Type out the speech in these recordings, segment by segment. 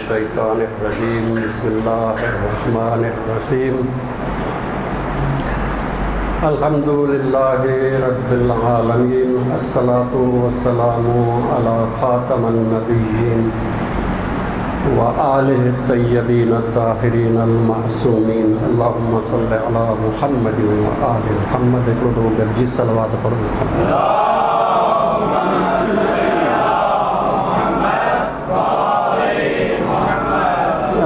الشيطان الرجيم بسم الله الرحمن الرحيم الحمد لله رب العالمين الصلاة والسلام على خاتم النبيين وآله الطيبين الطاهرين المعصومين اللهم صل على محمد وآل محمد. हिकिड़ो दफ़ो गॾिजी सलवात पढ़ो।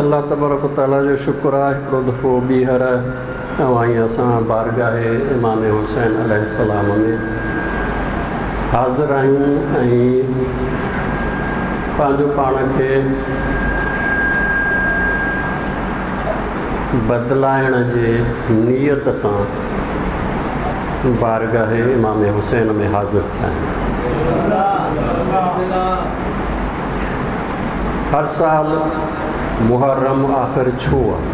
अलाह तबारक तआला जो शुक्र आहे, हिकिड़ो दफ़ो ॿीहर तव्हां ऐं असां बारगाह इमाम हुसैन अलैहिस्सलाम में हाज़िर आहियूं ऐं पंहिंजो पाण खे बदिलाइण जे नीयत सां बारगाह इमाम हुसैन में हाज़िर थिया आहियूं। हर साल मुहर्रम आख़िर छो आहे?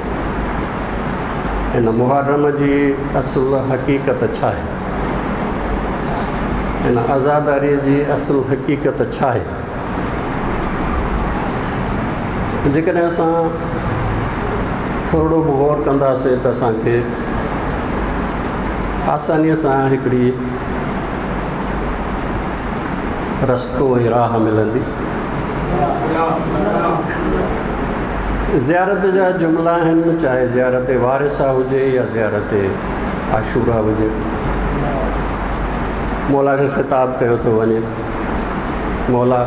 इन मुहर्रम जी असुल हक़ीक़त छा आहे? इन आज़ादारीअ जी असुल हक़ीक़त छा आहे? जेकॾहिं असां थोरो बि गौर कंदासीं त असांखे आसानीअ सां हिकिड़ी रस्तो ऐं राह मिलंदी। ज़ियारत जा जुमिला आहिनि, चाहे ज़ियारत वारिसा हुजे या ज़ियारत आशूरा हुजे, मौला खे ख़िताब कयो थो वञे, मौला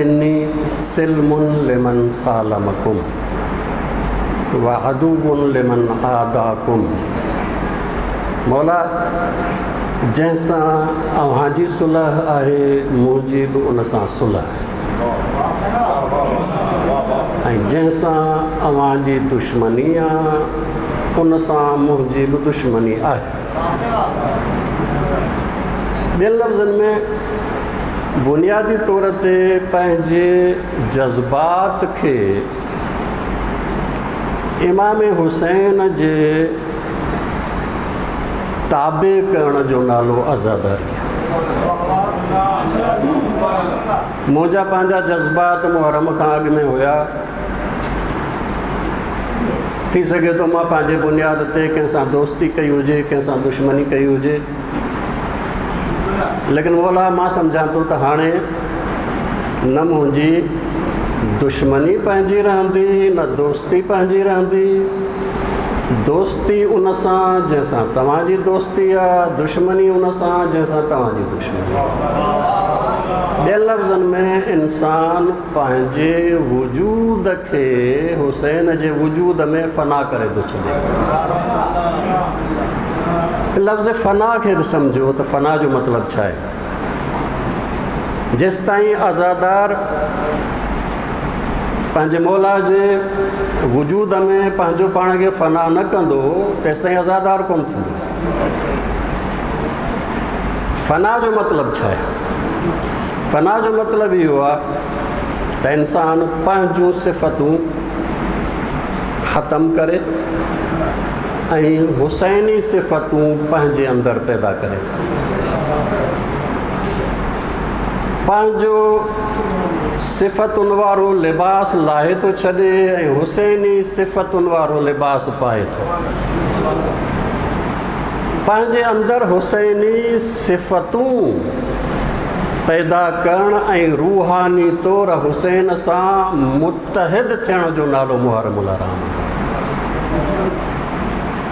इन्नी सिल्मुन लिमन सालमकुम व अदुवुन लिमन आदाकुम। मौला जंहिंसां अव्हांजी सुलह आहे मुंहिंजी बि उन सां सुलह आहे ऐं जंहिंसां अव्हांजी दुश्मनी आहे उन सां मुंहिंजी बि दुश्मनी आहे। ॿियनि लफ़्ज़नि में बुनियादी तौर ते पंहिंजे जज़्बात खे इमाम हुसैन जे ताबे करण जो नालो आज़ादारी आहे। मुंहिंजा पंहिंजा जज़्बात मुहर्रम खां अॻु में हुया, थी सघे थो मां पंहिंजे बुनियाद ते कंहिंसां दोस्ती कई हुजे, कंहिंसां दुश्मनी कई हुजे, लेकिन मौला मां सम्झां थो त हाणे न मुंहिंजी दुश्मनी पंहिंजी रहंदी न दोस्ती पंहिंजी रहंदी। दोस्ती उन सां जंहिंसां तव्हांजी दोस्ती आहे, दुश्मनी उन सां जंहिंसां तव्हांजी दुश्मनी आहे। ॿियनि लफ़्ज़नि में इंसान पंहिंजे वजूद खे हुसैन जे वजूद में फना करे थो छॾे। लफ़्ज़ फना खे बि सम्झो त फना जो मतिलबु छा आहे? जेसि ताईं आज़ादार पंहिंजे मौला जे वजूद में पंहिंजो पाण खे फना न कंदो तेसि ताईं आज़ादार कोन थींदो। फना जो मतिलबु छा आहे? फना जो मतिलबु इहो आहे त इंसान पंहिंजूं सिफ़तूं ख़तमु करे ऐं हुसैनी सिफ़तूं पंहिंजे अंदरि पैदा करे। पंहिंजो सिफ़तुनि वारो लिबास लाहे थो छॾे ऐं हुसैनी सिफ़तुनि वारो लिबास पाए थो। पंहिंजे अंदरि हुसैनी सिफ़तूं पैदा करण ऐं रूहानी तौर हुसैन सां मुतहिद थियण जो नालो मुहर्रम उल हराम।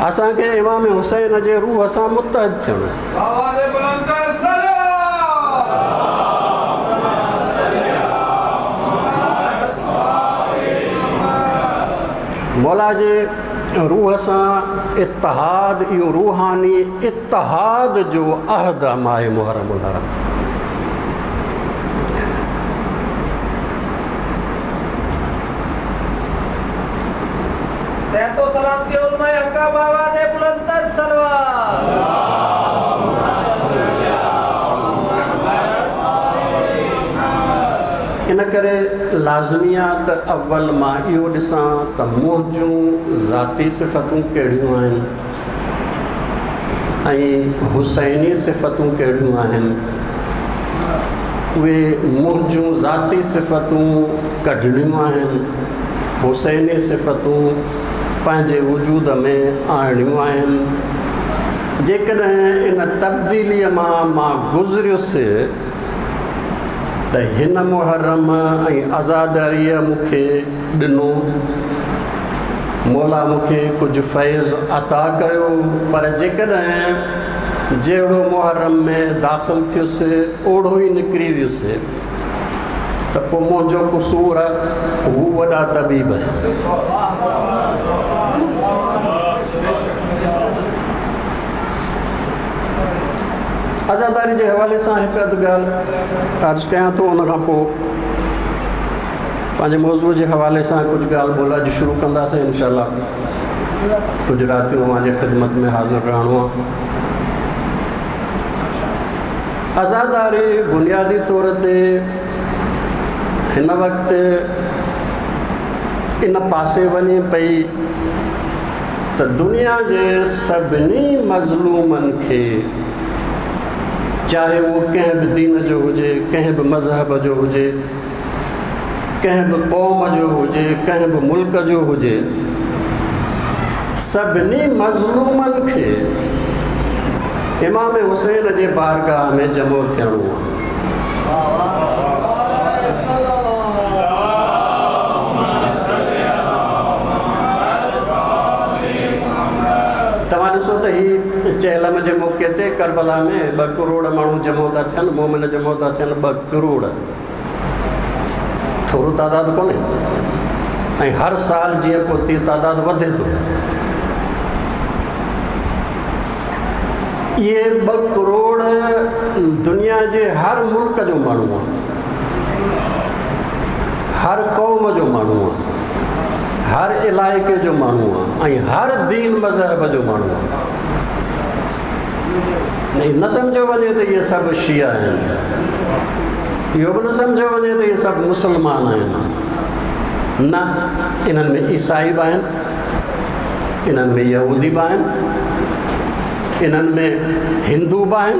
असांखे इमाम हुसैन जे रूह सां मुतहिद थियणो। मौला जे रूह सां इत्तिहाद, इहो रूहानी इत्तिहाद जो अहद आहे मुहर्रम उल हराम। इन करे लाज़मी आहे त अवल मां इहो ॾिसां त मुंहिंजूं ज़ाती सिफ़तूं कहिड़ियूं आहिनि ऐं हुसैनी सिफ़तूं कहिड़ियूं आहिनि। اهي منهنجون ذاتي صفتون ڪڍڻيون آهن، حسيني صفتون پنهنجي وجود ۾ آڻڻيون آهن. جيڪڏهن ان تبديليء مان مان گذريس ته هن محرم ۽ عزاداريء مون کي ڏنو، مولا مون کي ڪجهه فيض عطا ڪيو، پر جيڪڏهن جهڙو محرم ۾ داخل ٿيس اوڙو ئي نڪري ويس ته پوء منهنجو قصور هو وڏا طبيب آهن. عزاداري جي حوالي سان هڪ اڌ ڳالهه عرض ڪيان ٿو، ان کان پوء پنهنجي موضوع جي حوالي سان ڪجهه ڳالهه ٻولهه اڄ شروع ڪنداسين انشاء الله. ڪجهه راتيون اوهان جي خدمت ۾ حاضر رهڻو آهي. عزاداري بنيادي طور تي هن وقت ان پاسي وڃي پئي ته دنيا جي سڀني مظلومن کي، چاهي اهو ڪنهن به دين جو هجي، ڪنهن به مذهب جو هجي، ڪنهن به قوم جو هجي، ڪنهن به ملڪ جو هجي، سڀني مظلومن کي امام حسين جي بارگاهه ۾ جمع ٿيڻو آهي. توهان ڏسو ته هي چهلم جي موقعي تي ڪربلا ۾ 2 ڪروڙ ماڻهو جمع ٿا ٿين، مومن جمع ٿا ٿين، 2 ڪروڙ ٿورو تعداد ڪونهي، ۽ هر سال جيئن پوء تيئن تعداد وڌي ٿو. اهي 2 ڪروڙ دنيا جي هر ملڪ جو ماڻهو آهي، هر قوم جو ماڻهو آهي، هر علائقي جو ماڻهو آهي ۽ هر دين مذهب جو ماڻهو آهي. نه سمجهيو وڃي ته اهي سڀ شيعا آهن، اهو به نه سمجهيو وڃي ته اهي سڀ مسلمان آهن، نه، انهن ۾ عيسائي به آهن، انهن ۾ يهودي به آهن، انهن ۾ هندو به آهن،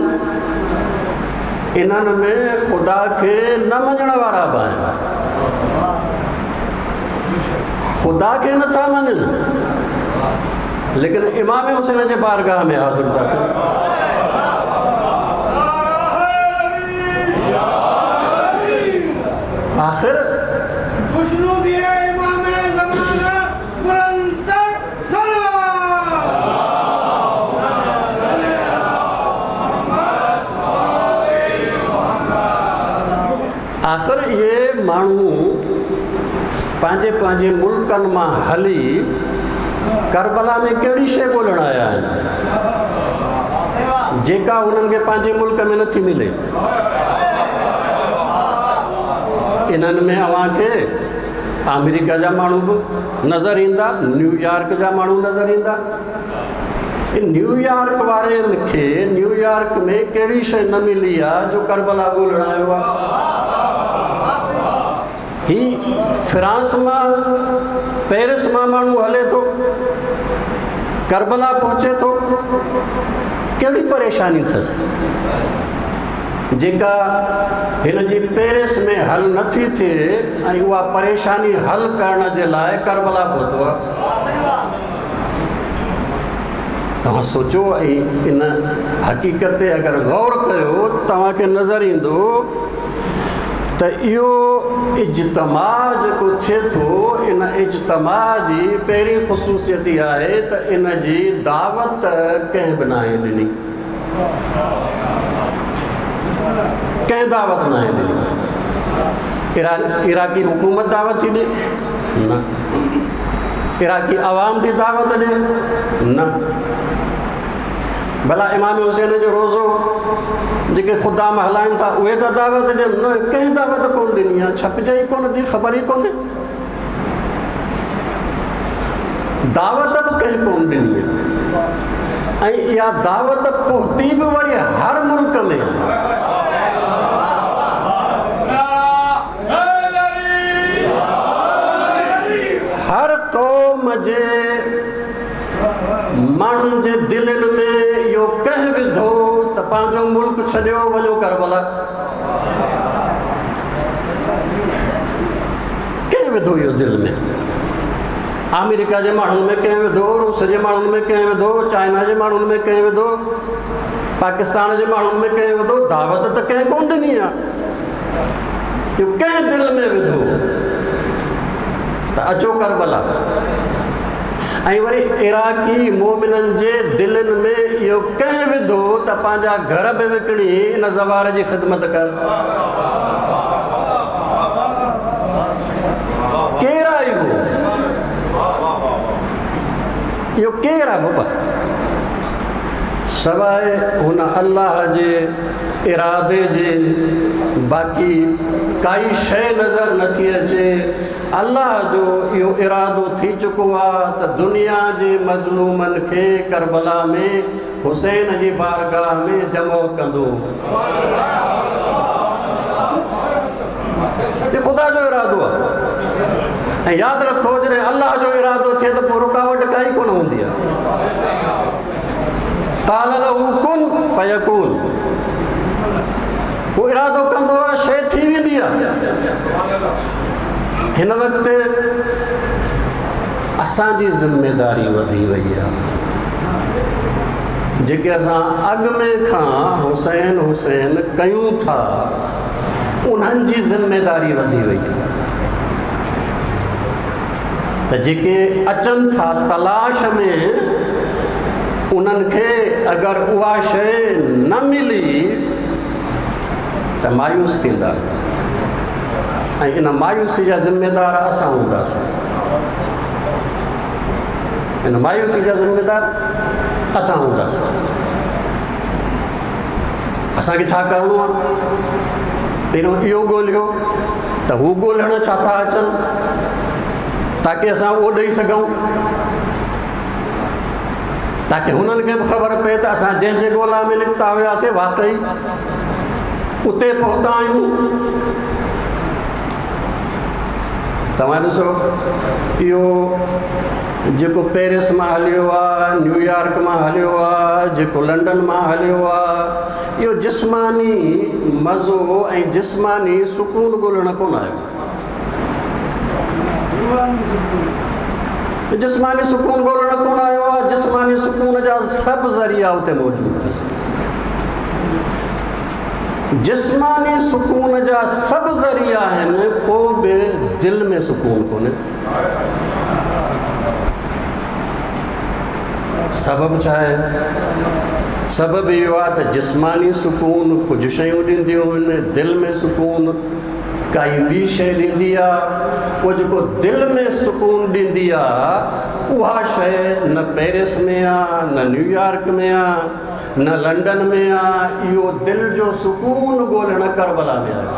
انهن ۾ خدا کي نه مڃڻ وارا به آهن. خدا کي نٿا مڃن ليڪن امام حسين جي بارگاهه ۾ حاضر ٿا ٿين. آخر آخر اهي ماڻهو پنهنجي پنهنجي ملڪن مان هلي ڪربلا ۾ ڪهڙي شيء ڳولڻ آيا آهن جيڪا انهن کي پنهنجي ملڪ ۾ نٿي ملي؟ انهن ۾ اوهان کي آمريڪا جا ماڻهو به نظر ايندا، نيويارڪ جا ماڻهو نظر ايندا. نيويارڪ وارن کي نيويارڪ ۾ ڪهڙي شيء نه ملي آ جو ڪربلا ڳولڻ آيو آ؟ هي فرانس مان، پيرس مان ماڻهو هلي ٿو، ڪربلا پهچي ٿو، ڪهڙي پريشاني اٿس جيڪا هن جي پيرس ۾ حل نٿي ٿئي ۽ اها پريشاني حل ڪرڻ جي لاء ڪربلا پهتو آ؟ توهان سوچو ۽ ان حقيقت تي اگر غور ڪيو ته توهان کي نظر ايندو ته اهو اجتماع جيڪو ٿئي ٿو، ان اجتماع جي پهرين خصوصيت اها آهي ته ان جي دعوت ڪنهن به ناهي ڏني، ڪنهن دعوت ناهي ڏني. عراقي حڪومت دعوت ٿي ڏي؟ نه. عراقي عوام ٿي دعوت ڏي؟ نه. ڀلا امام حسين جو روزو جيڪي خدام هلائن ٿا اهي ٿا دعوت ڏين؟ نه، ڪنهن دعوت ڪونه ڏني آهي، ڇپجي ئي ڪونه ٿي، خبر ئي ڪونهي. دعوت به ڪنهن ڪونه ڏني آهي ۽ اها دعوت پهتي به وري هر ملڪ ۾ آهي. هر قوم جي ماڻهن جي دلين ۾ اهو ڪنهن وڌو ته پنهنجو ملڪ ڇڏيو وڃو ڪربلا. ڪنهن وڌو اهو دل ۾؟ آمريڪا جي ماڻهن ۾ ڪنهن وڌو؟ روس جي ماڻهن ۾ ڪنهن وڌو؟ چائنا جي ماڻهن ۾ ڪنهن وڌو؟ پاڪستان جي ماڻهن ۾ ڪنهن وڌو؟ دعوت ته ڪنهن ڪونه ڏني آهي. اهو ڪنهن دل ۾ وڌو ته اچو ڪربلا؟ ۽ وري عراقي مومنن جي دلين ۾ اهو ڪنهن وڌو ته پنهنجا گهر به وڪڻي ان زوار جي خدمت ڪر؟ ڪير آهي اهو؟ اهو ڪير آهي بابا؟ سواء هن الله جي ارادي جي باقي ڪائي شيء نظر نٿي اچي. الله جو اهو ارادو ٿي چڪو آهي ته دنيا جي مظلومن کي ڪربلا ۾ حسين جي بارگاهه ۾ جمع ڪندو. هي خدا جو ارادو آهي. ۽ ياد رکو، جڏهن الله جو ارادو ٿئي ته پوء رڪاوٽ ڪائي ڪونه هوندي آهي. قال له ڪن فيڪون، هو ارادو ڪندو آهي، شيء ٿي ويندي آهي. هن وقت اسان جي ذميداري وڌي وئي آهي. جيڪي اسان اڳ ۾ کان حسين حسين ڪيون ٿا، انهن جي ذميداري وڌي وئي آهي ته جيڪي اچن ٿا تلاش ۾، انهن کي اگر اها شيء نه ملي ته مايوس ٿيندا، ۽ ان مايوسي جا ذميدار اسان هونداسين. ان مايوسي جا ذميدار اسان هونداسين. اسان کي ڇا ڪرڻو آهي؟ پهريون اهو ڳولهيو ته هو ڳولهڻ ڇا ٿا اچن، تاڪه اسان اهو ڏئي سگهون، تاڪه هنن کي به خبر پئي ته اسان جنهن جي ڳولا ۾ نڪتا هياسين، واقعي اتي پهتا آهيون. توهان ڏسو، اهو جيڪو پيرس مان هليو آهي، نيويارڪ مان هليو آهي، جيڪو لنڊن مان هليو آهي، اهو جسماني مزو ۽ جسماني سڪون ڳولڻ ڪونه آيو. جسماني سڪون ڳولڻ ڪونه آيو آهي. جسماني سڪون جا سڀ ذريعا اتي موجود اٿس. جسماني سڪون جا سڀ ذريعا آهن، پوءِ به دل ۾ سڪون ڪونهي. سبب ڇا آهي؟ سبب اهو آهي ته جسماني سڪون ڪجهه شيون ڏينديون آهن، دل ۾ سڪون ڪائي ٻي شيءِ ڏيندي آهي. پوءِ جيڪو دل ۾ سڪون ڏيندي آهي، اها شيءِ نه پيرس ۾ آهي، نه نيويارڪ ۾ آهي، نه لنڊن ۾ آهي. اهو دل جو سڪون ڳولهڻ ڪربلا ۾ آيو.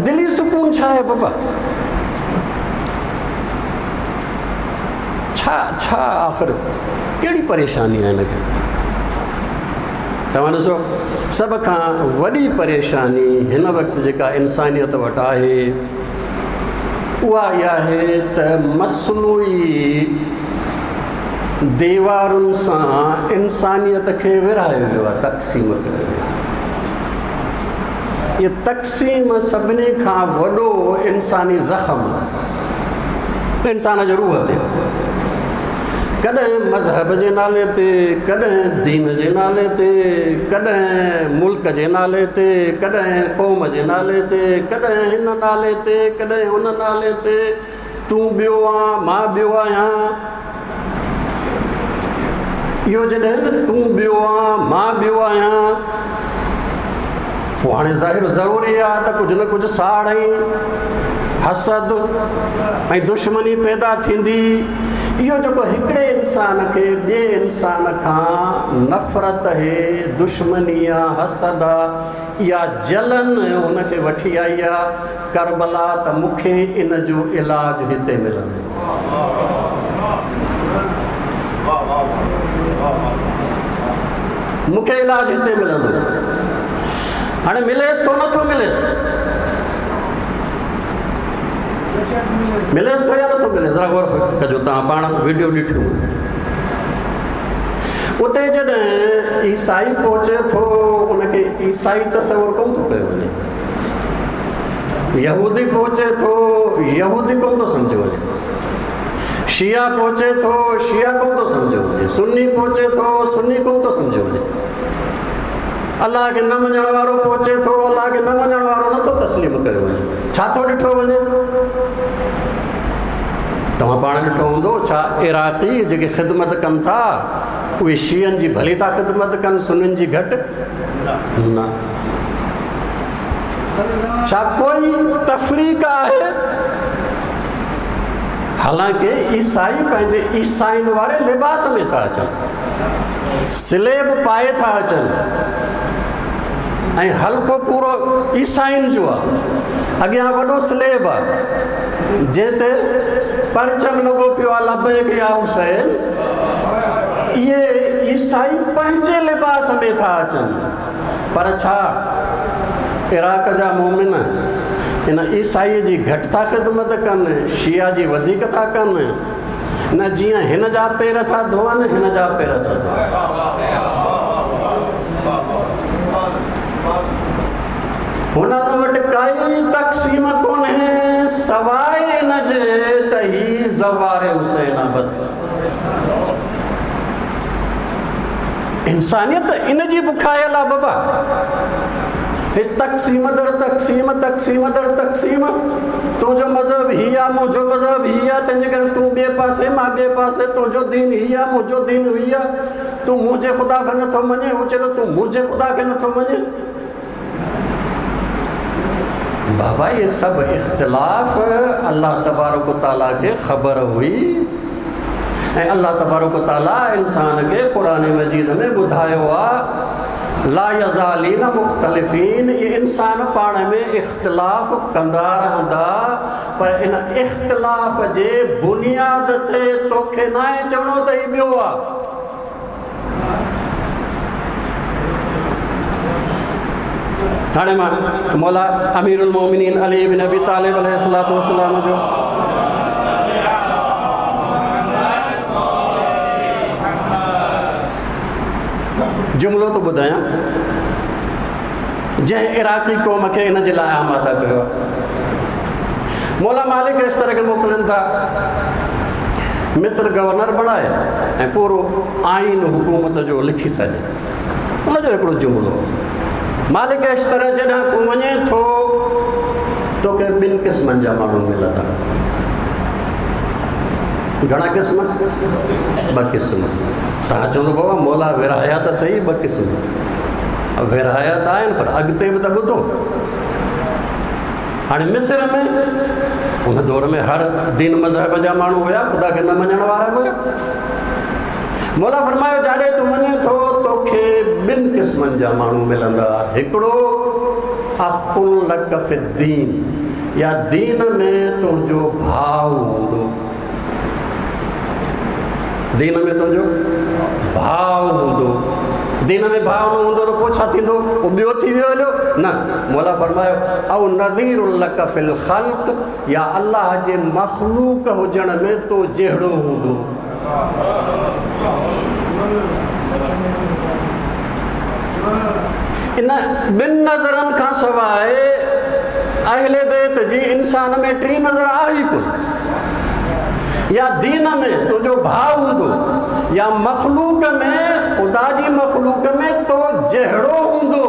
دلي سڪون ڇا آهي بابا؟ ڇا ڇا آخر ڪهڙي پريشاني آهي هن کي؟ توهان ڏسو، سڀ کان وڏي پريشاني هن وقت جيڪا انسانيت وٽ آهي، اها اها آهي ته مصنوعي ديوارن سان انسانيت کي ورهايو ويو آهي، تقسيم ڪيو ويو آهي. اهو تقسيم سڀني کان وڏو انساني زخم آهي انسان جي روح تي. ڪڏهن مذهب جي نالي تي، ڪڏهن دين جي نالي تي، ڪڏهن ملڪ جي نالي تي، ڪڏهن قوم جي نالي تي، ڪڏهن هن نالي تي، ڪڏهن هن نالي تي، تون ٻيو آ، مان ٻيو آهيان. اهو جڏهن تون ٻيو آ، مان ٻيو آهيان، پوءِ هاڻي ظاهر ضروري آهي ته ڪجهه نه ڪجهه ساڙ ۽ حسد ۽ دشمني پيدا ٿيندي. اهو جيڪو هڪڙي انسان کي ٻئي انسان کان نفرت آهي، دشمني آهي، حسد آهي، اها جلن هن کي وٺي آئي آهي ڪربلا ته مون کي ان جو علاج هتي ملندو. مون کي علاج هتي ملندو. هاڻي مليس ٿو، نٿو مليس؟ مليس ٿو يا نٿو ملي؟ ذرا غور ڪجو، توهان پاڻ وڊيو ڏٺيون. उते जॾहिं ईसाई पहुचे थो उनखे ईसाई तसवुर कोन थो कयो वञे, यहूदी पहुचे थो यहूदी कोन थो सम्झो वञे, शिया पहुचे थो शिया कोन थो सम्झो वञे, सुन्नी पहुचे थो सुन्नी कोन थो सम्झो वञे, अलाह खे न मञण वारो पहुचे थो अलाह खे न मञण वारो नथो तस्लीम कयो वञे। छा थो ॾिठो वञे? तव्हां पाण ॾिठो हूंदो, छा इराक़ी जेके ख़िदमत कनि था उहे शियनि जी भली था ख़िदमत कनि, सुन्नियुनि जी घटि न? छा कोई तफ़रीक आहे? हालांकि ईसाई पंहिंजे ईसाइनि वारे लिबास में था अचनि, स्लेब पाए था अचनि ऐं हल्को पूरो ईसाइनि जो आहे, अॻियां वॾो स्लेब आहे जंहिं ते परचम लॻो पियो आहे लबैक या हुसैन। इहे ईसाई पंहिंजे लिबास में था अचनि, पर छा इराक़ जा मोमिन इन ईसाईअ जी घटि था ख़िदमत कनि, शिया जी वधीक था कनि? न, जीअं हिन जा पेर था धोअनि हिन जा पेर था धोअनि। हुननि वटि काई तक़सीम कोन्हे सवाइ इन जे त ही ज़वार हुसैन आहे। बसि इंसानियत इन जी बुखायल आहे बाबा। हे तक़सीम दर तक़सीम, तक़सीम दर तक़सीम, तुंहिंजो मज़हब ही आहे, मुंहिंजो मज़हब ही आहे, तंहिंजे करे तूं ॿिए पासे मां ॿिए पासे, तुंहिंजो दीन ही आहे मुंहिंजो दीन ही आहे, तूं मुंहिंजे ख़ुदा खे नथो मञे, हू चए थो तूं मुंहिंजे ख़ुदा खे नथो मञे। बाबा ये सभु इख़्तिलाफ़ अलाह तबारक ताला खे ख़बर हुई ऐं अलाह तबारक ताला इंसान खे क़ुर मजीद में ॿुधायो आहे ला यज़ालीन मुख़्तलिफ़ीन, इहे इंसान पाण में इख़्तिलाफ़ कंदा रहंदा, पर इन इख़्तिलाफ़ जे बुनियाद ते तोखे नाहे चवणो त हीउ ॿियो आहे। हाणे मां मौला अमीरुल मोमिनीन अली बिन अबी तालिब अलैहिस्सलातु वस्सलाम जो जुमिलो थो ॿुधायां जंहिं इराक़ी क़ौम खे इन जे लाइ आमादा कयो आहे। मौला मालिक इस तरह खे मोकिलिनि था मिस्र गवर्नर बणाए ऐं पूरो आइन हुकूमत जो लिखी था ॾियनि। उनजो हिकिड़ो जुमिलो, मालिक इस तरह जॾहिं तूं वञे थो तोखे ॿिनि क़िस्मनि जा माण्हू मिलंदा। घणा क़िस्म? ॿ क़िस्म। तव्हां चवंदो बाबा मौला विराया त सही ॿ क़िस्म, विराया त आहिनि पर अॻिते बि त ॿुधो। हाणे मिस्र में उन दौर में हर दीन मज़हब जा माण्हू हुया, ख़ुदा खे न मञण वारा बि हुया। मौला फरमायो जाॾे तूं वञे थो तोखे ॿिनि क़िस्मनि जा माण्हू मिलंदा, हिकिड़ो अख़ुन लक फ़िद्दीन, या दीन में तुंहिंजो भाउ हूंदो, दीन में तुंहिंजो भाउ हूंदो। दीन में भाउ न हूंदो त पोइ छा थींदो? उहो ॿियो थी वियो हलियो न। मौला फरमायो औ नज़ीर लक फ़िल ख़ल्क़, या अलाह जे मख़लूक हुजण में तो जहिड़ो हूंदो। इन ॿिनि नज़रनि खां सवाइ अहले बैत जी इंसान में टी नज़र आहे ई कोन। या दीन में तुंहिंजो भाउ हूंदो या मख़लूक में ख़ुदा जी मख़लूक में तो जहिड़ो हूंदो।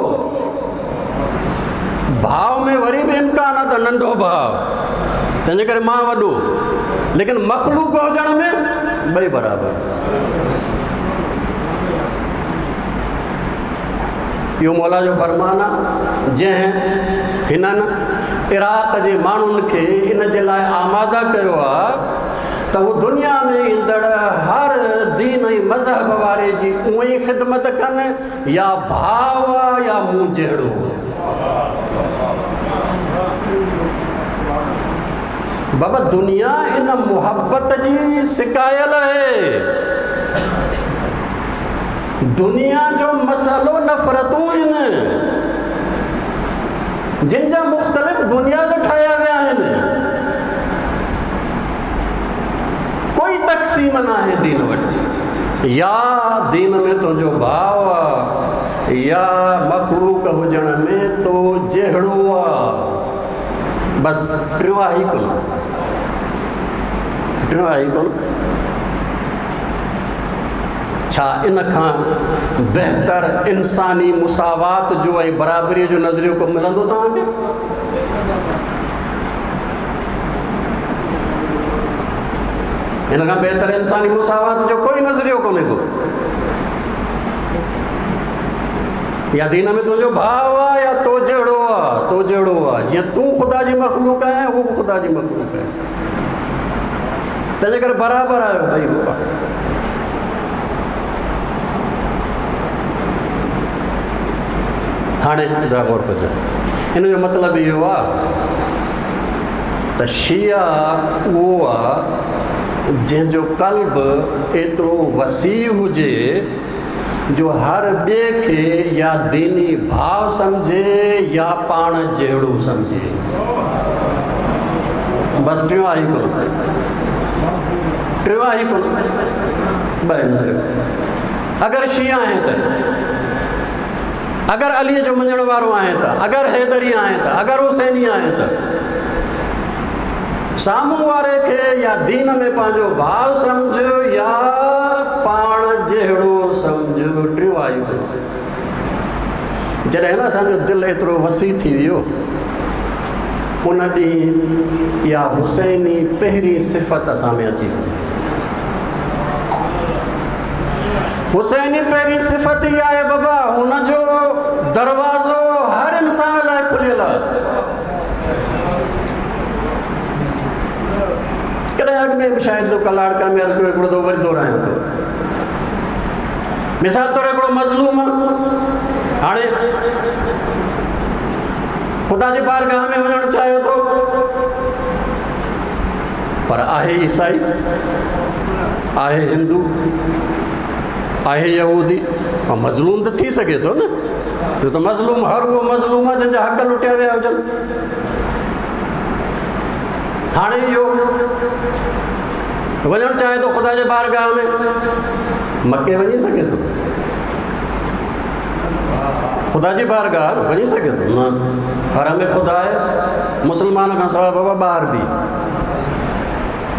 भाउ में वरी बि इम्कान आहे त नंढो भाउ, तंहिंजे करे मां वॾो, लेकिन मख़लूक हुजण में ॿई बराबरि। इहो मौला जो फरमान आहे जंहिं हिननि इराक़ जे माण्हुनि खे इन जे लाइ आमादा कयो आहे त हू दुनिया में ईंदड़ हर दीन ऐं मज़हब वारे जी उअं ई ख़िदमत कनि, या भाउ आहे या मूं जहिड़ो। बाबा दुनिया इन मुहबत जी सिकायल आहे। दुनिया जो मसइलो नफ़रतूं आहिनि जिन जा मुख़्तलिफ़ बुनियाद ठाहिया विया आहिनि, कोई तक़सीम न आहे दीन वटि। يا دين ۾ تنهنجو ڀاء آ يا مخلوق هجڻ ۾ تو جهڙو آ. بس ٽيون آهي ئي ڪونه، ٽيون آهي ئي ڪونه. ڇا ان کان بهتر انساني مساوات جو ۽ برابريء جو نظريو ڪو ملندو توهان کي؟ ان کان بهتر انساني مساوات جو ڪوئي نظريو ڪونهي ڪو. يا دين ۾ تنهنجو ڀاء آ يا تو جهڙو آ، تو جهڙو آ. جيئن تون خدا جي مخلوق آهين، هو به خدا جي مخلوق آهي، تنهنجي ڪري برابر آهيو ٻئي. بابا، هاڻي ذرا غور ڪجو، ان جو مطلب اهو آ ته شيعا اهو آ جنهن جو قلب ايترو وسيع هجي جو هر ٻئي کي يا ديني ڀاء سمجهي يا پاڻ جهڙو سمجهي. بس ٽيون آهي ڪونه، ٽيون آهي ڪونه، ٻه آهن صرف. اگر شيعا آهين ته، اگر علي جو مڃڻ وارو آهين ته، اگر حيدري آهين ته، اگر حسيني آهين ته، سامهون واري کي يا دين ۾ پنهنجو ڀاء سمجهه يا پاڻ جهڙو سمجهه. ٽيون آيو. جڏهن نه اسان جو دل ايترو وسيع ٿي ويو، ان ڏينهن اها حسيني پهرين صفت اسان ۾ اچي وئي. حسيني پهرين صفت ئي آهي بابا، هن جو دروازو هر انسان لاء کليل آهي. ڪڏهن اڳ ۾ به شايد ڪلاڙڪا ۾ عرض ڪيو، هڪڙو دفعو وري دهرايان ٿو. مثال طور هڪڙو مظلوم هاڻي خدا جي بارگاهه ۾ وڃڻ چاهي ٿو، پر آهي عيسائي، آهي هندو، آهي يهودي، مظلوم ته ٿي سگهي ٿو نه؟ ڇو ته مظلوم هر اهو مظلوم آهي جنهن جا حق لٽيا ويا هجن. هاڻي اهو وڃڻ چاهي ٿو خدا جي بارگاهه ۾، مڪي وڃي سگهي ٿو؟ خدا جي بارگاهه وڃي سگهي ٿو؟ نه، حرم خدا آهي، مسلمان کان سواء بابا ٻاهر به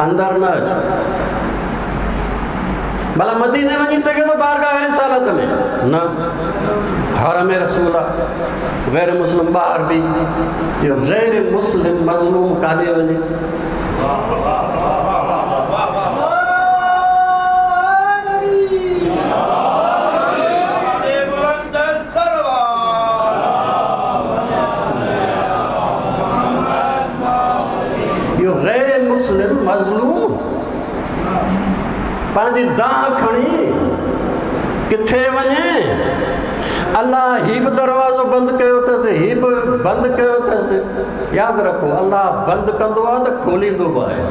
اندر نه اچ. ڀلا مديني وڃي سگهي ٿو بارگاهه رسالت ۾؟ نه، حرم رسول آهي، غير مسلم ٻاهر به. اهو غير مسلم مظلوم ڪاڏي وڃي؟ اهو غير مسلم مظلوم پنهنجي دانهن کڻي ڪٿي وڃي؟ الله هي به دروازو بند ڪيو اٿس، هي به بند ڪيو اٿس. ياد رکو، الله بند ڪندو آهي ته کوليندو به آهي.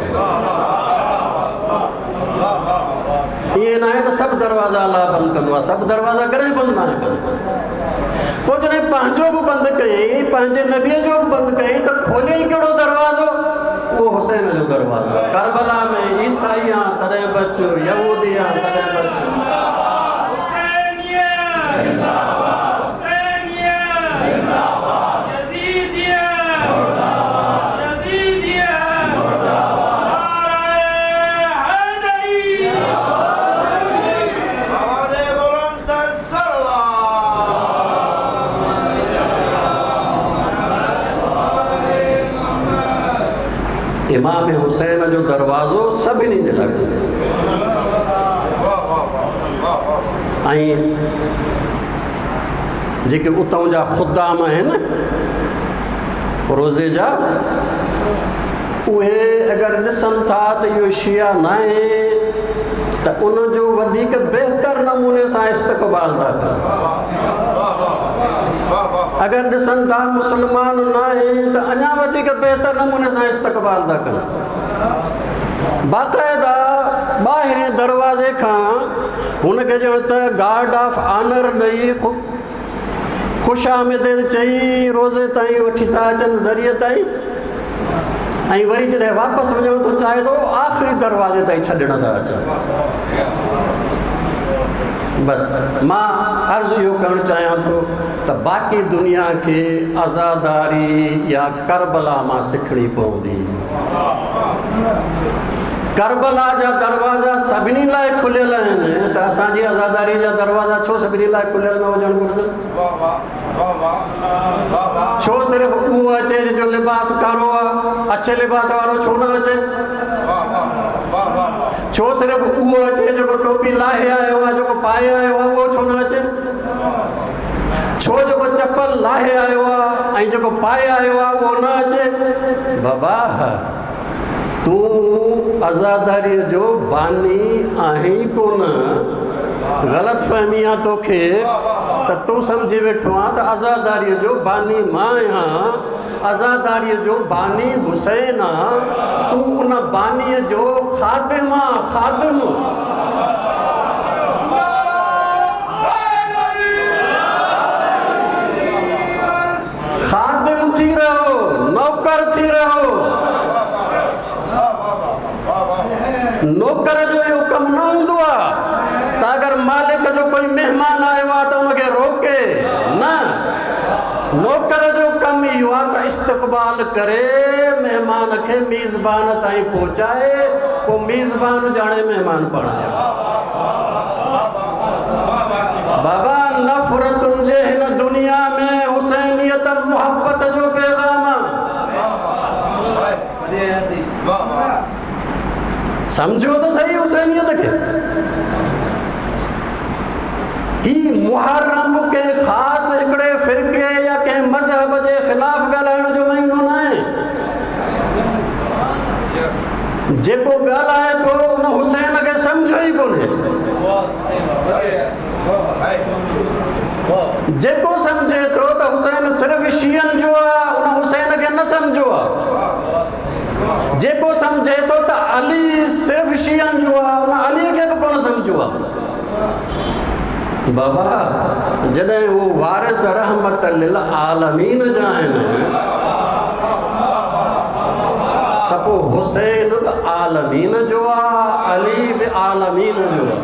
ائين ناهي ته سڀ دروازا الله بند ڪندو آهي، سڀ دروازا ڪڏهن بند ناهي ڪندو. پوء جڏهن پنهنجو به بند ڪيائين، پنهنجي نبيء جو به بند ڪيائين، ته کوليائين ڪهڙو دروازو؟ اهو حسين جو دروازو. ڪربلا ۾ عيسائي آن تڏهن به اچ، يهودي آن تڏهن به اچ. امام حسين جو دروازو سڀني جي لاء کليل ۽ جيڪي اتان جا خدام آهن روزي جا، اهي اگر ڏسن ٿا ته اهو شيعا ناهي ته ان جو وڌيڪ بهتر نموني سان استقبال ٿا ڪن. اگر ڏسن ٿا مسلمان ناهي ته اڃا وڌيڪ بهتر نموني سان استقبال ٿا ڪن. باقاعده ٻاهرين دروازي کان هن کي ڄڻ ته گارڊ آف آنر ڏئي، خوش آمديد چئي روزي تائين وٺي ٿا اچن، ذريعي تائين، ۽ وري جڏهن واپس وڃڻ ٿو چاهي ٿو، آخري دروازي تائين ڇڏڻ ٿا اچن. बस मां अर्ज़ु इहो करणु चाहियां थो त बाक़ी दुनिया खे आज़ादारी या करबला मां सिखणी पवंदी। करबला जा दरवाज़ा सभिनी लाइ खुलियल आहिनि त असांजी आज़ादारी जा दरवाज़ा छो सभिनी लाइ खुलियल न हुजणु घुर्जनि? छो सिर्फ़ु उहो अचे जो लिबास कारो आहे, अच्छे लिबास वारो छो न अचे? छो सिर्फ़ु उहो अचे जेको टोपी लाहे आयो आहे, जेको पाए आयो आहे, उहो छो न अचे? छो जेको चपल लाहे आयो आहे ऐं जेको पाए आयो आहे उहो न अचे? बाबा तूं आज़ादारीअ जो बानी आहीं कोन, ग़लति फहमी आहे तोखे त तूं सम्झी वेठो आहीं त आज़ादारीअ जो बानी मां आहियां, आज़ादारीअ जो बानी हुसैन आहे, तूं उन बानीअ जो ख़ादिम आहीं, ख़ादिम। ख़ादिम थी रहो, नौकर थी रहो। नौकर जो इहो कमु न हूंदो आहे त अगरि मालिक जो कोई महिमान आयो आहे त उनखे रोके न। नौकर जो कमु इहो आहे त इस्तक़बाल करे, महिमान खे मेज़बान ताईं पहुचाए, पोइ मेज़बान ॼाणे महिमान पाण ॼाणे। बाबा नफ़रतुनि जे हिन दुनिया में हुसैनियत मुहब्बत जो पैगाम आहे। सम्झो त सही हुसैनियत खे। ही मुहर्रम कंहिं ख़ासि हिकिड़े फ़िरके या कंहिं मज़हब जे ख़िलाफ़ ॻाल्हाइण जो महीनो न आहे। जेको ॻाल्हाए थो उन हुसैन खे सम्झो ई कोन्हे। जेको सम्झे थो त हुसैन सिर्फ़ु शियनि जो आहे, उन हुसैन खे न सम्झो आहे। जेको सम्झे थो त अली सिर्फ़ु शियनि जो आहे, उन अलीअ खे बि कोन सम्झो आहे। बाबा जॾहिं हू वारिस रहमत लिल आलमीन जा आहिनि त पोइ हुसैन बि आलमीन जो आहे, अली बि आलमीन जो आहे।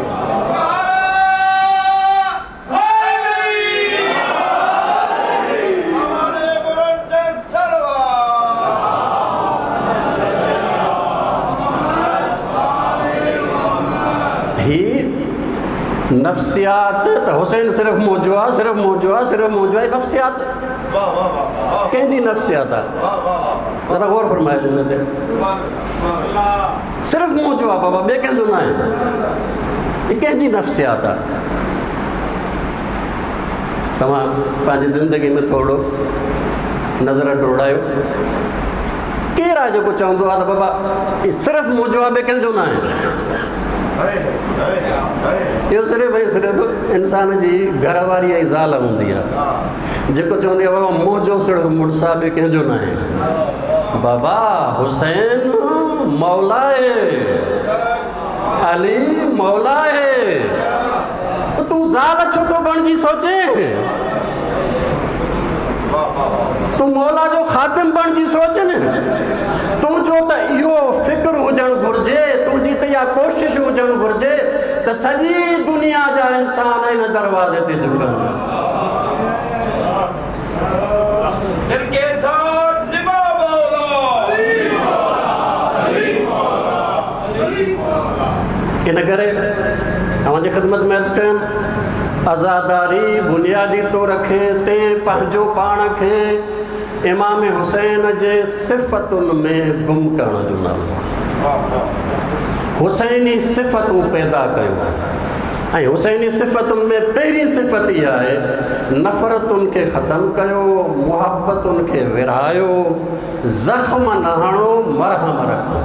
नफ़्सियात त हुसैन सिर्फ़ु मुंहिंजो आहे, सिर्फ़ु मुंहिंजो आहे, सिर्फ़ु मुंहिंजो आहे। नफ़्सियात कंहिंजी नफ़्सियात आहे? ज़रा गौर फरमाइजो हिन ते। सिर्फ़ु मुंहिंजो आहे बाबा, ॿिए कंहिंजो न आहे। हीअ कंहिंजी नफ़्सियात आहे? तव्हां पंहिंजी ज़िंदगी में थोरो नज़र ڊोड़ायो। केरु आहे जेको चवंदो आहे त बाबा सिर्फ़ु मुंहिंजो आहे, ॿिए कंहिंजो न आहे? इहो सिर्फ़ु ऐं सिर्फ़ु इंसान जी घर वारी ऐं ज़ाल हूंदी आहे जेको चवंदी आहे बाबा मुंहिंजो सिर्फ़ु मुड़ुस आहे, ॿिए कंहिंजो न आहे। बाबा हुसैन मौला आहे, अली मौला आहे, तूं ज़ाल छो थो बणिजी सोचे? तूं मौला जो ख़ादिम बणिजी सोच न। तुंहिंजो त इहो फ़िक्र हुजणु घुर्जे, तुंहिंजी त इहा कोशिशि हुजणु घुर्जे त सॼी दुनिया जा इंसान हिन दरवाज़े ते झुकनि। इन करे अव्हांजी ख़िदमत में अर्ज़ु कयमि, आज़ादारी बुनियादी तौर ते पंहिंजो पाण खे इमाम हुसैन जे सिफ़तुनि में गुम करण जो नालो आहे। हुसैनी सिफ़तूं पैदा कयूं ऐं हुसैनी सिफ़तुनि में पहिरीं सिफ़त इहा आहे नफ़रतुनि खे ख़तमु कयो, मुहब्बतुनि खे विरहायो, ज़ख़्म न हणो, मरहम रखो।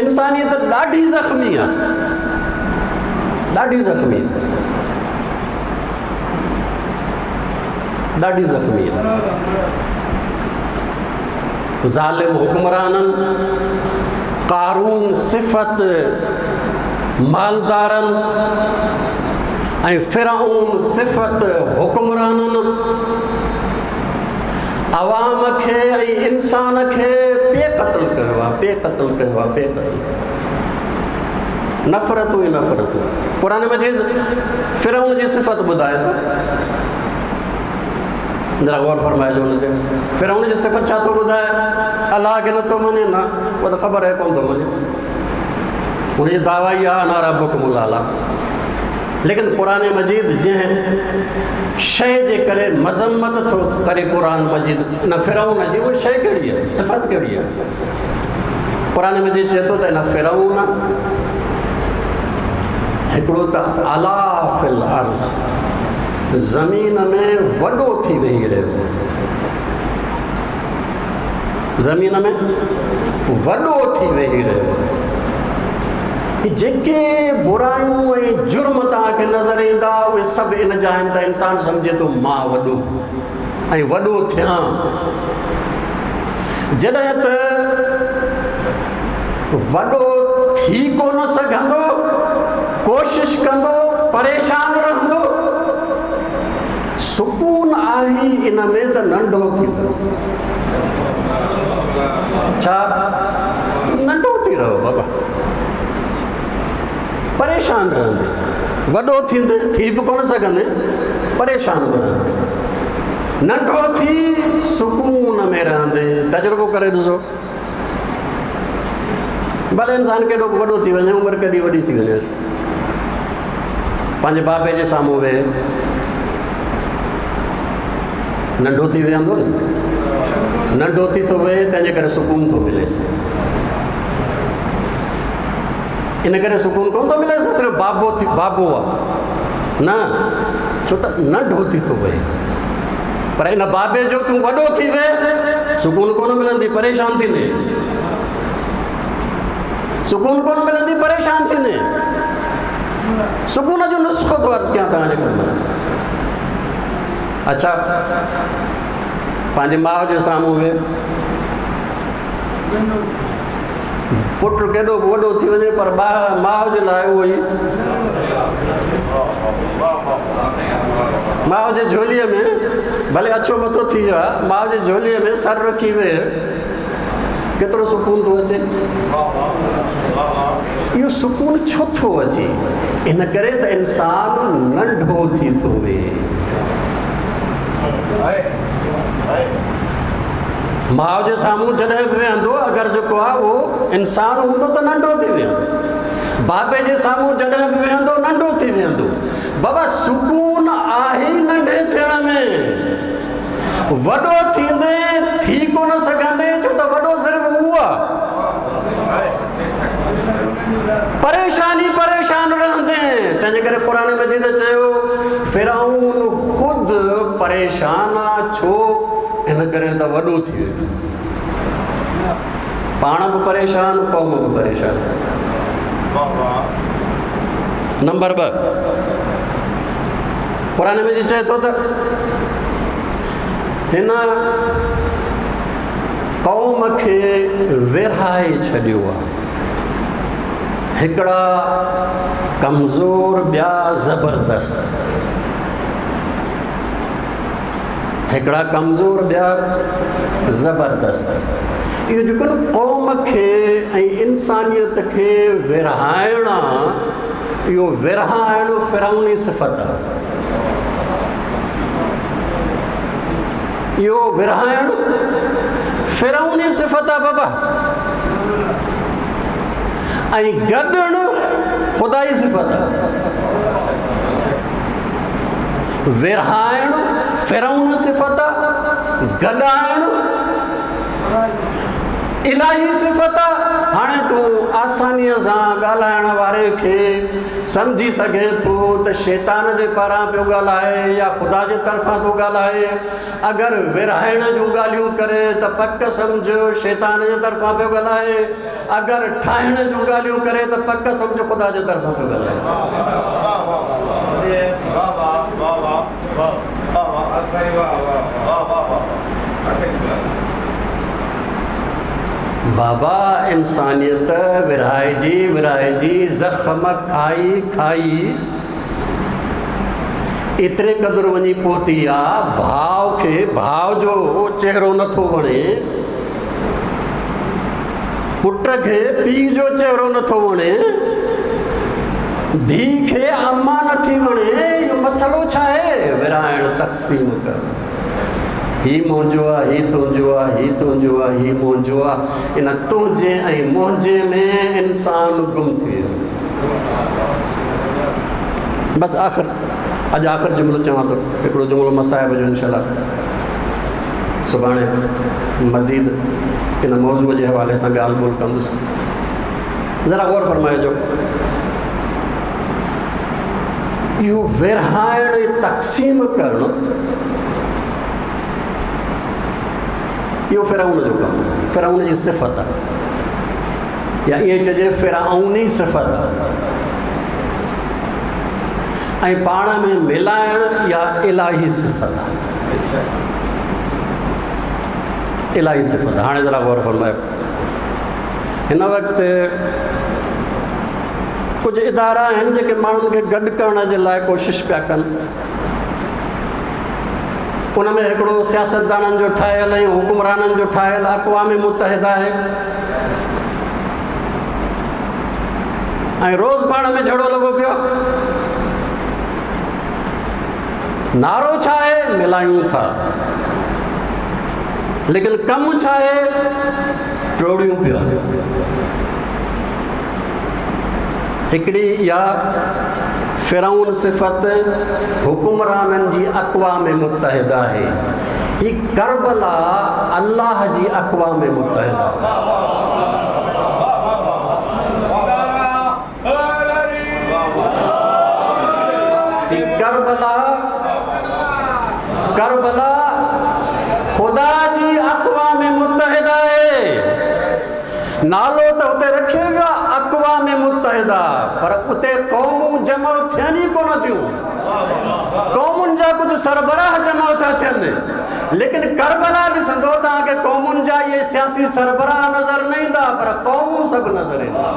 इंसानियत ॾाढी ज़ख़्मी आहे, ॾाढी ज़ख़्मी आहे, ॾाढी ज़ख़्मी आहे। ज़ालिम हुक्मराननि, कारून सिफ़त मालदारनि ऐं फिरऊन सिफ़त हुक्मराननि अवाम खे ऐं इंसान खे पे क़तलु कयो आहे, पे क़तलु कयो आहे, पे क़तलु कयो। نفرتون ئي نفرتون. قرآن مجيد فرعون جي صفت ٻڌائي ٿو. ذرا غور فرمائجو ان تي. فرعون جي صفت ڇا ٿو ٻڌائي؟ الله کي نٿو مڃي نه، اها ته خبر آهي ڪونه ٿو مڃي. هن جي دعويٰ ئي آهي انا ربڪم الاعليٰ. ليڪن قرآن مجيد جنهن شيء جي ڪري مذمت ٿو ڪري قرآن مجيد ان فرعون جي، اها شيء ڪهڙي آهي؟ صفت ڪهڙي آهي؟ قرآن مجيد چئي ٿو ته ان فرعون هڪڙو ته علا في الارض، زمين ۾ وڏو ٿي ويهي رهيو، زمين ۾ وڏو ٿي ويهي رهيو. جيڪي برايون ۽ جرم توهان کي نظر ايندا اهي سڀ ان جا آهن ته انسان سمجهي ٿو مان وڏو ۽ وڏو ٿيان. جڏهن ته وڏو ٿي ڪونه سگهندو، ڪوشش ڪندو، پريشان رهندو. سڪون آهي ان ۾ ته ننڍو ٿي رهو. ڇا ننڍو ٿي رهو بابا، پريشان رهندي، وڏو ٿيندي ٿي به ڪونه سگهندي، پريشان به رهندي. ننڍو ٿي سڪون ۾ رهندي. تجربو ڪري ڏسو، ڀلي انسان ڪيڏو به وڏو ٿي وڃي، عمر ڪيڏي وڏي ٿي وڃيس، پنهنجي بابي جي سامهون ويهي ننڍو ٿي ويهندو نه، ننڍو ٿي ٿو ويهي، تنهنجي ڪري سڪون ٿو مليس. ان ڪري سڪون ڪونه ٿو مليس صرف بابو ٿي بابو آ نه، ڇو ته ننڍو ٿي ٿو ويهي. پر ان بابي جو تون وڏو ٿي ويهه، سڪون ڪونه ملندي، پريشان ٿيندي. سڪون ڪونه ملندي، پريشان ٿيندي. سڪون جو نسخو ٿو عرض ڪيان توهان جي خدمت. اڇا، پنهنجي ماء جي سامهون ويهه، پٽ ڪيڏو به وڏو ٿي وڃي پر ماء جي لاءِ اهو ئي ماء جي جهوليء ۾ ڀلي اڇو مٿو ٿي ويو آهي، ماء جي جهوليء ۾ سر رکي ويهه، ڪيترو سڪون ٿو اچي. اهو سڪون ڇو ٿو اچي؟ ان ڪري ته انسان ننڍو ٿي ٿو ويهي. ماء جي سامهون جڏهن به ويهندو، اگر جيڪو آهي اهو انسان هوندو ته ننڍو ٿي ويهندو. بابي جي سامهون جڏهن به ويهندو، ننڍو ٿي ويهندو. بابا سڪون آهي ننڍي ٿيڻ ۾. وڏو ٿيندي ٿي ڪونه سگهندي، ڇو ته وڏو صرف هو آهي. پريشاني پريشان رهندي. تنهنجي ڪري قرآن مجيد چيو فرعون خود پريشان آ. ڇو؟ ان ڪري ته وڏو ٿي ويو، پاڻ به پريشان، قوم به پريشان. نمبر 2، قرآن مجيد چئي ٿو ته هن قوم کي ورهائي ڇڏيو آهي، هڪڙا ڪمزور ٻيا زبردست، هڪڙا ڪمزور ٻيا زبردست. اهو جيڪو نه قوم کي ۽ انسانيت کي ورهائڻ آ، اهو ورهائڻ فرعوني صفت آ. اهو ورهائڻ فرعوني صفت آ بابا، ۽ گڏڻ خدائي صفت آ. ورهائڻ فرعون صفت آ، گڏائڻ الاهي صفت آ. هاڻي تون آسانيء سان ڳالهائڻ واري کي سمجهي سگهين ٿو ته شيطان جي پاران پيو ڳالهائي يا خدا جي طرفان ٿو ڳالهائي. اگر ورهائڻ جون ڳالهيون ڪري ته پڪ سمجهه شيطان جي طرفان پيو ڳالهائي، اگر ٺاهڻ جون ڳالهيون ڪري ته پڪ سمجهه خدا جي طرفان پيو ڳالهائي. بابا انسانيت ورهائجي ورهائجي زخم کائي کائي ايتري قدر وڃي پهتي آ، ڀاء کي ڀاء جو چهرو نٿو وڻي، پٽ کي پيء جو چهرو نٿو وڻي. ڌيء کي اما نٿي وڻي. اهو مسئلو ڇا آهي؟ ورهائڻ، تقسيم ڪرڻ. هي منهنجو آهي، هي تنهنجو آهي، هي تنهنجو آهي، هي منهنجو آهي. ان تنهنجي ۽ منهنجي ۾ انسان گم ٿي ويو. بس آخر اڄ آخر جملو چوان ٿو، هڪڙو جملو مصائب جو انشاء الله سڀاڻي مزيد ان موضوع جي حوالي سان ڳالهه ٻولهه ڪندس. ذرا غور فرمائجو، اهو ورهائڻ ۽ تقسيم ڪرڻ اهو فرعون جو ڪم، فرعون جي صفت آهي، يا ائين چئجي فرعوني صفت آهي. ۽ پاڻ ۾ ملائڻ اها الاهي صفت آهي، الاهي صفت. هاڻي ذرا غور فرمايو، هن وقت ڪجهه ادارا آهن جيڪي ماڻهن کي گڏ ڪرڻ جي لاء ڪوشش پيا ڪن. ان ۾ هڪڙو سياستدانن جو ٺاهيل ۽ حڪمرانن جو ٺاهيل اقوام متحده آهي، ۽ روز پاڻ ۾ جهيڙو لڳو پيو. نعرو ڇا آهي؟ ملايون ٿا، ليڪن ڪم ڇا آهي؟ ٽوڙيون پيا. هڪڙي اها فرعون صفت حڪمرانن جي اقوام متحده آهي. هي ڪربلا الله جي اقوام متحده. هي ڪربلا، ڪربلا خدا جي اقوام متحده آهي. نالو ته اتي رکيو ويو آهي اقوام متحده، پر اتي قومون جمع ٿين ئي ڪونه ٿيون. قومن جا ڪجهه سربراهه جمع ٿا ٿين، ليڪن ڪربلا ڏسندو توهان کي قومن جا اهي سياسي سربراهه نظر نه ايندا، پر قومون سڀ نظر اينديون.